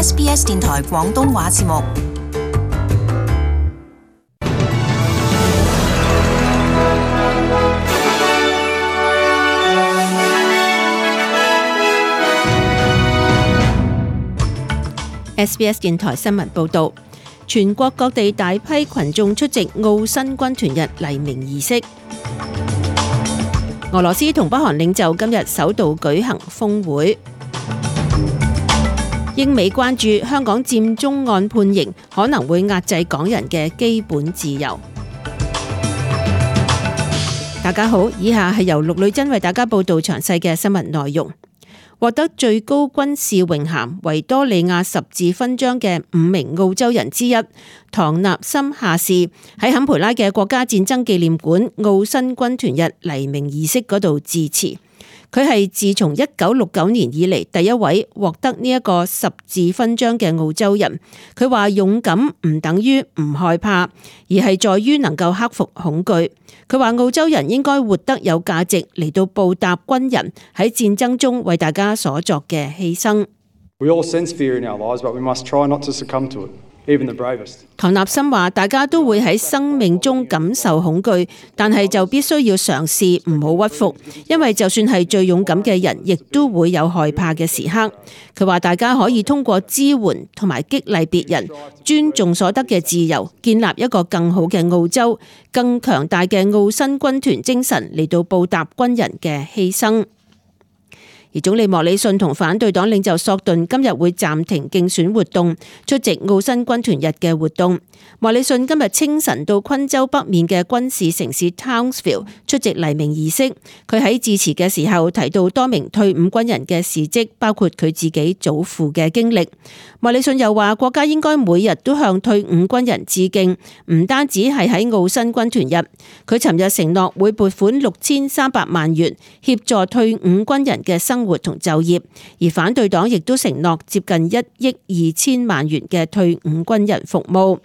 SBS 電台廣東話節目。SBS 電台新聞報導，全國各地大批群眾出席澳新軍團日黎明儀式。俄羅斯同北韓領袖今日首度舉行峰會。英美關注香港佔中案判刑可能會壓制港人嘅基本自由。大家好，以下係由陸女真為大家報道詳細嘅新聞內容。獲得最高軍事榮銜維多利亞十字勳章嘅5名澳洲人之一唐納森下士喺坎培拉嘅國家戰爭紀念館澳新軍團日黎明儀式嗰度致辭。佢係自從1969年以嚟第一位獲得呢一個十字勳章嘅澳洲人。佢話勇敢唔等於唔害怕，而係在於能夠克服恐懼。佢話澳洲人應該活得有價值，嚟到報答軍人喺戰爭中為大家所作嘅犧牲。We all sense fear in our lives, but we must try not to succumb to it. 唐納森話：大家都會喺生命中感受恐懼，但係就必須要嘗試唔好屈服，因為就算係最勇敢嘅人，亦都會有害怕嘅時刻。佢話大家可以通過支援同埋激勵別人，尊重所得嘅自由，建立一個更好嘅澳洲，更強大嘅澳新軍團精神嚟到報答軍人嘅犧牲。而總理莫里遜同反對黨領袖索頓今日會暫停競選活動，出席澳新軍團日嘅活動。莫里遜今日清晨到昆州北面嘅軍事城市 Townsville 出席黎明儀式。佢喺致辭嘅時候提到多名退伍軍人嘅事蹟，包括佢自己祖父嘅經歷。莫里遜又話國家應該每日都向退伍軍人致敬，唔單止係喺澳新軍團日。佢尋日承諾會撥款6300萬元協助退伍軍人嘅生活同就業，而反對黨亦都承諾接近1億2千萬元嘅退伍軍人服務。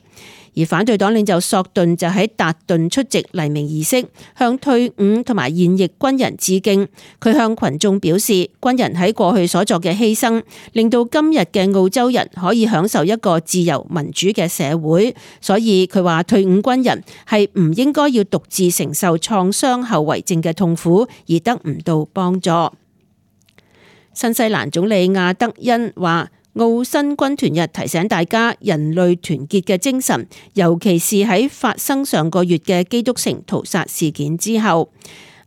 而反對黨領袖索頓就喺達頓出席黎明儀式，向退伍同埋現役軍人致敬。佢向群眾表示，軍人喺過去所作嘅犧牲，令到今日嘅澳洲人可以享受一個自由民主嘅社會。所以佢話退伍軍人係唔應該要獨自承受創傷後遺症嘅痛苦，而得唔到幫助。新西蘭總理亞德恩話：澳新軍團日提醒大家人類團結嘅精神，尤其是喺發生上個月嘅基督城屠殺事件之後。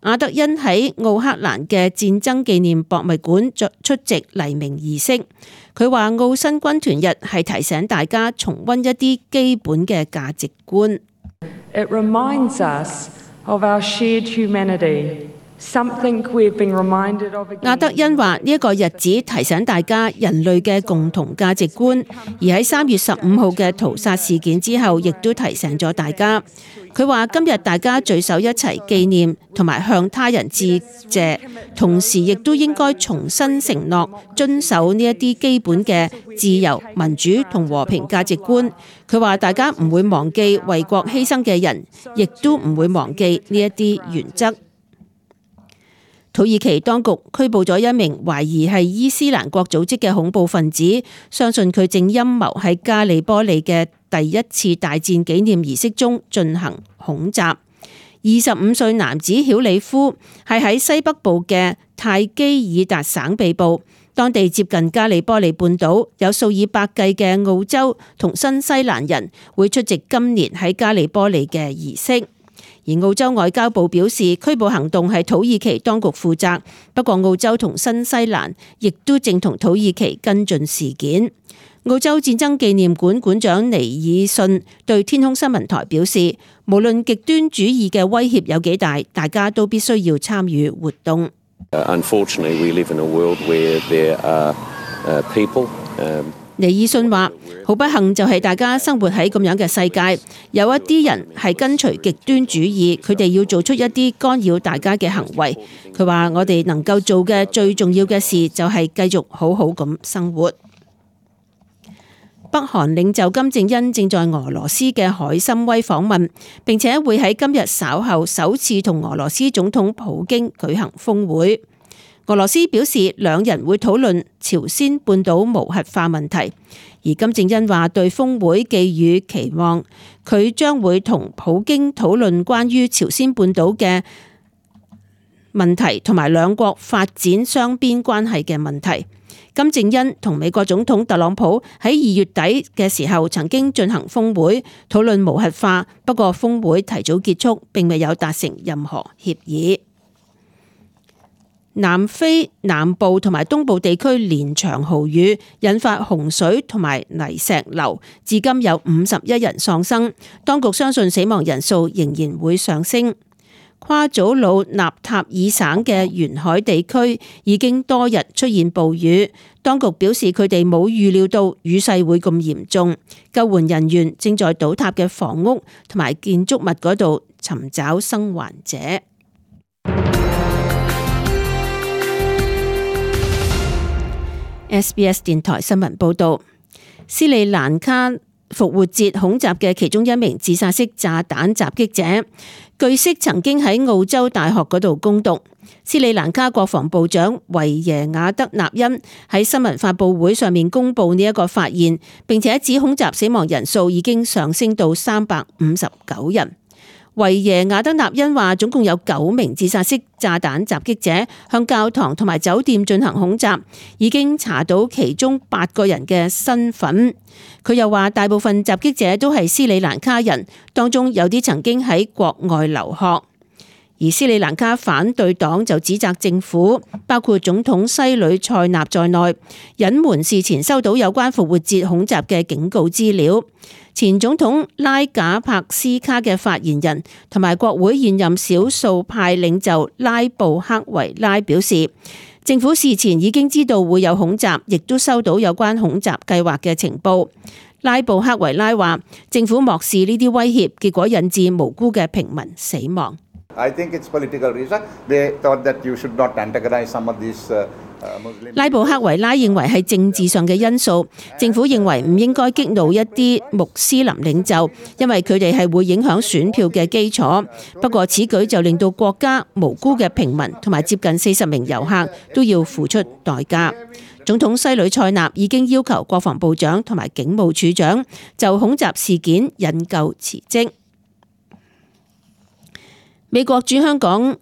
亞德恩喺奧克蘭嘅戰爭紀念博物館出席黎明儀式。佢話澳新軍團日係提醒大家重溫一啲基本嘅價值觀。It reminds us of our shared humanity. 亞德恩話呢一個日子提醒大家人類嘅共同價值觀，而喺3月15號嘅屠殺事件之後，亦都提醒咗大家。佢話今日大家聚首一齊紀念同埋向他人致謝，同時亦都應該重新承諾遵守呢一啲基本嘅自由、民主同和平價值觀。佢話大家唔會忘記為國犧牲嘅人，亦都唔會忘記呢一啲原則。土耳其當局拘捕咗一名懷疑係伊斯蘭國組織嘅恐怖分子，相信佢正陰謀喺加里波利嘅第一次大戰紀念儀式中進行恐襲。25歲男子曉里夫係喺西北部嘅泰基爾達省被捕，當地接近加里波利半島，有數以百計嘅澳洲同新西蘭人會出席今年喺加里波利嘅儀式。而澳洲外交部表示，拘捕行動係土耳其當局負責，不過澳洲同新西蘭亦都正同土耳其跟進事件。澳洲戰爭紀念館館長尼爾遜對天空新聞台表示，無論極端主義嘅威脅有幾大，大家都必須要參與活動。Unfortunately, we live in a world where there are people. 尼爾遜話：好不幸就係大家生活喺咁樣嘅世界，有一啲人係跟隨極端主義，佢哋要做出一啲干擾大家嘅行為。佢話：我哋能夠做嘅最重要嘅事就係繼續好好咁生活。北韓領袖金正恩正在俄羅斯嘅海參崴訪問，並且會喺今日稍後首次同俄羅斯總統普京舉行峰會。俄羅斯表示兩人會討論朝鮮半島無核化問題，而金正恩話對峰會寄予期望，佢將會同普京討論關於朝鮮半島嘅問題同埋兩國發展雙邊關係嘅問題。金正恩同美國總統特朗普喺2月底嘅時候曾經進行峰會討論無核化，不過峰會提早結束，並未有達成任何協議。南非南部同埋東部地區連場豪雨，引發洪水同埋泥石流，至今有51人喪生。當局相信死亡人數仍然會上升。夸祖魯納塔爾省嘅沿海地區已經多日出現暴雨，當局表示佢哋冇預料到雨勢會咁嚴重，救援人員正在倒塌嘅房屋同埋建築物嗰度尋找生還者。SBS 電台新聞報道，斯里蘭卡復活節恐襲嘅其中一名自殺式炸彈襲擊者，據悉曾經喺澳洲大學嗰度攻讀。斯里蘭卡國防部長維耶亞德納恩喺新聞發佈會上面公布呢一個發現，並且指恐襲死亡人數已經上升到359人。維耶亞德納恩話，總共有9名自殺式炸彈襲擊者向教堂同埋酒店進行恐襲，已經查到其中8個人嘅身份。佢又話，大部分襲擊者都係斯里蘭卡人，當中有啲曾經喺國外留學。而斯里蘭卡反對黨就指責政府，包括總統西呂塞納在內，隱瞞事前收到有關復活節恐襲嘅警告資料。前總統拉賈帕斯卡嘅發言人同埋國會現任少數派領袖拉布克維拉表示，政府事前已經知道會有恐襲，亦都收到有關恐襲計劃嘅情報。拉布克維拉話，政府漠視呢啲威脅，結果引致無辜嘅平民死亡。I think it's political reason. They thought that you should not antagonize some of these Muslims. 拉布克維拉認為係政治上嘅因素，政府認為唔應該激怒一啲穆斯林領袖，因為佢哋係會影響選票嘅基礎。不過此舉就令到國家無辜嘅平民同埋接近40名遊客都要付出代價。總統西呂塞納已經要求國防部長同埋警務處長就恐襲事件引咎辭職。美國駐香港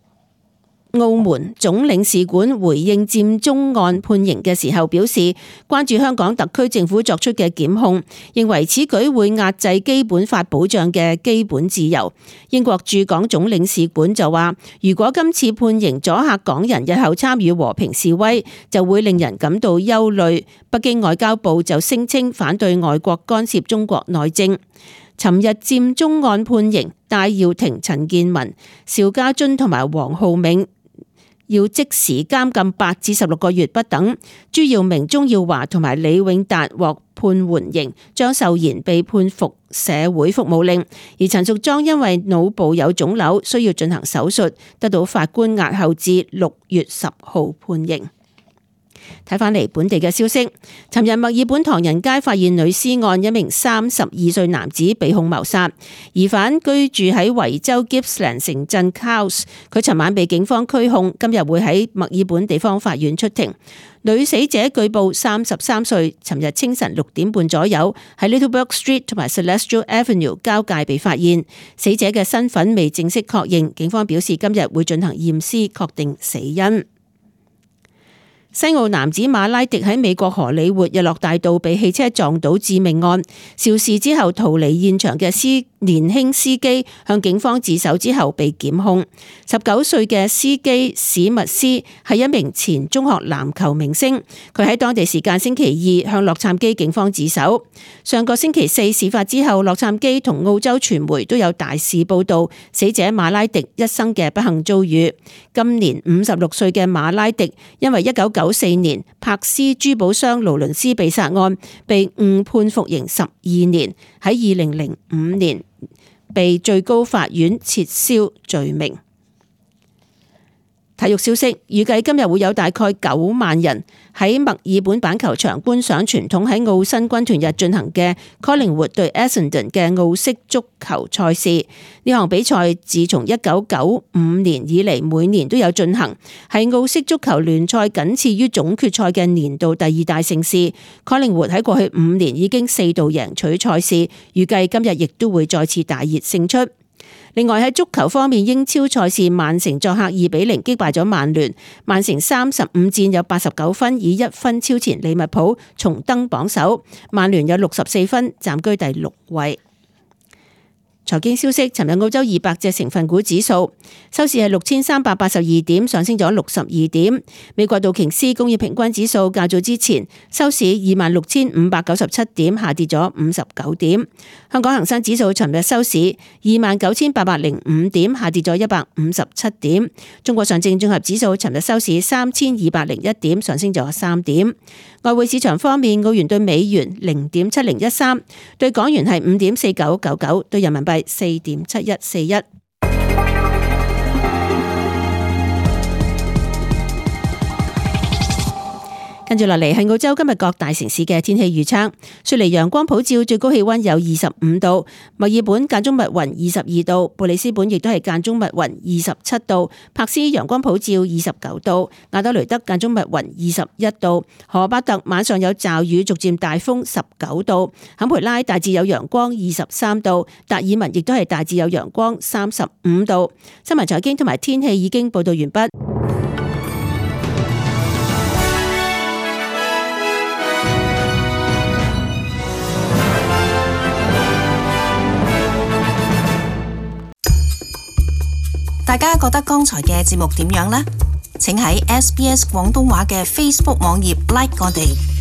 澳門總領事館回應佔中案判刑嘅時候表示，關注香港特區政府作出嘅檢控，認為此舉會壓制基本法保障嘅基本自由。英國駐港總領事館就話，如果今次判刑阻嚇港人日後參與和平示威，就會令人感到憂慮。北京外交部就聲稱反對外國干涉中國內政。尋日佔中案判刑，戴耀廷、陳健民、邵家臻同埋黃浩銘要即時監禁8至16個月不等。朱耀明、鍾耀華同埋李永達獲判緩刑，張秀賢被判服社會服務令，而陳淑莊因為腦部有腫瘤需要進行手術，得到法官押後至6月10號判刑。睇返嚟本地嘅消息，尋日墨爾本唐人街發現女屍案，一名32歲男子被控謀殺，疑犯居住喺維州 Gippsland 城鎮 Cowes， 佢尋晚被警方拘控，今日會喺墨爾本地方法院出庭。女死者據報33歲，尋日清晨6點半左右喺 Littlebrook Street 同埋 Celestial Avenue 交界被發現，死者嘅身份未正式確認，警方表示今日會進行驗屍確定死因。西澳男子馬拉迪喺美國荷里活日落大道被汽車撞倒致命案，肇事之後逃離現場嘅年輕司機向警方自首之後被檢控。19歲嘅司機史密斯係一名前中學籃球明星，佢喺當地時間星期二向洛杉磯警方自首。上個星期4事發之後，洛杉磯同澳洲傳媒都有大肆報道死者馬拉迪一生嘅不幸遭遇。今年56歲嘅馬拉迪因為1994年柏斯珠寶商勞倫斯被殺案被誤判服刑12年，喺2005年被最高法院撤銷罪名。體育消息，預計今日會有大概9萬人喺墨爾本板球場觀賞傳統喺澳新軍團日進行嘅 Collingwood 對 Essendon 嘅澳式足球賽事。呢項比賽自從1995年以嚟每年都有進行，係澳式足球聯賽僅次於總決賽嘅年度第2大盛事。Collingwood 喺過去5年已經4度贏取賽事，預計今日亦都會再次大熱勝出。另外喺足球方面，英超賽事曼城作客2-0擊敗咗曼聯，曼城35戰有89分，以1分超前利物浦，重登榜首。曼聯有64分，暫居第6位。財經消息，尋日澳洲200隻成分股指數收市係6382點，上升咗62點。美國道瓊斯工業平均指數較早之前收市26597點，下跌咗59點。香港恒生指數尋日收市29805點，下跌咗157點。中國上證綜合指數尋日收市3201點，上升咗3點。外匯市場方面，澳元對美元0.7013，對港元係5.4999，對人民幣4.7141。跟住落嚟係澳洲今日各大城市嘅天氣預測。雪梨陽光普照，最高氣溫有25度；墨爾本間中密雲22度；布里斯本亦都係間中密雲27度；柏斯陽光普照29度；亞德雷德間中密雲21度；荷巴特晚上有驟雨，逐漸大風19度；坎培拉大致有陽光23度；達爾文亦都係大致有陽光35度。新聞財經同埋天氣已經報道完畢。大家覺得剛才嘅節目點樣呢？請喺SBS 廣東話嘅 Facebook 網頁 like 我哋。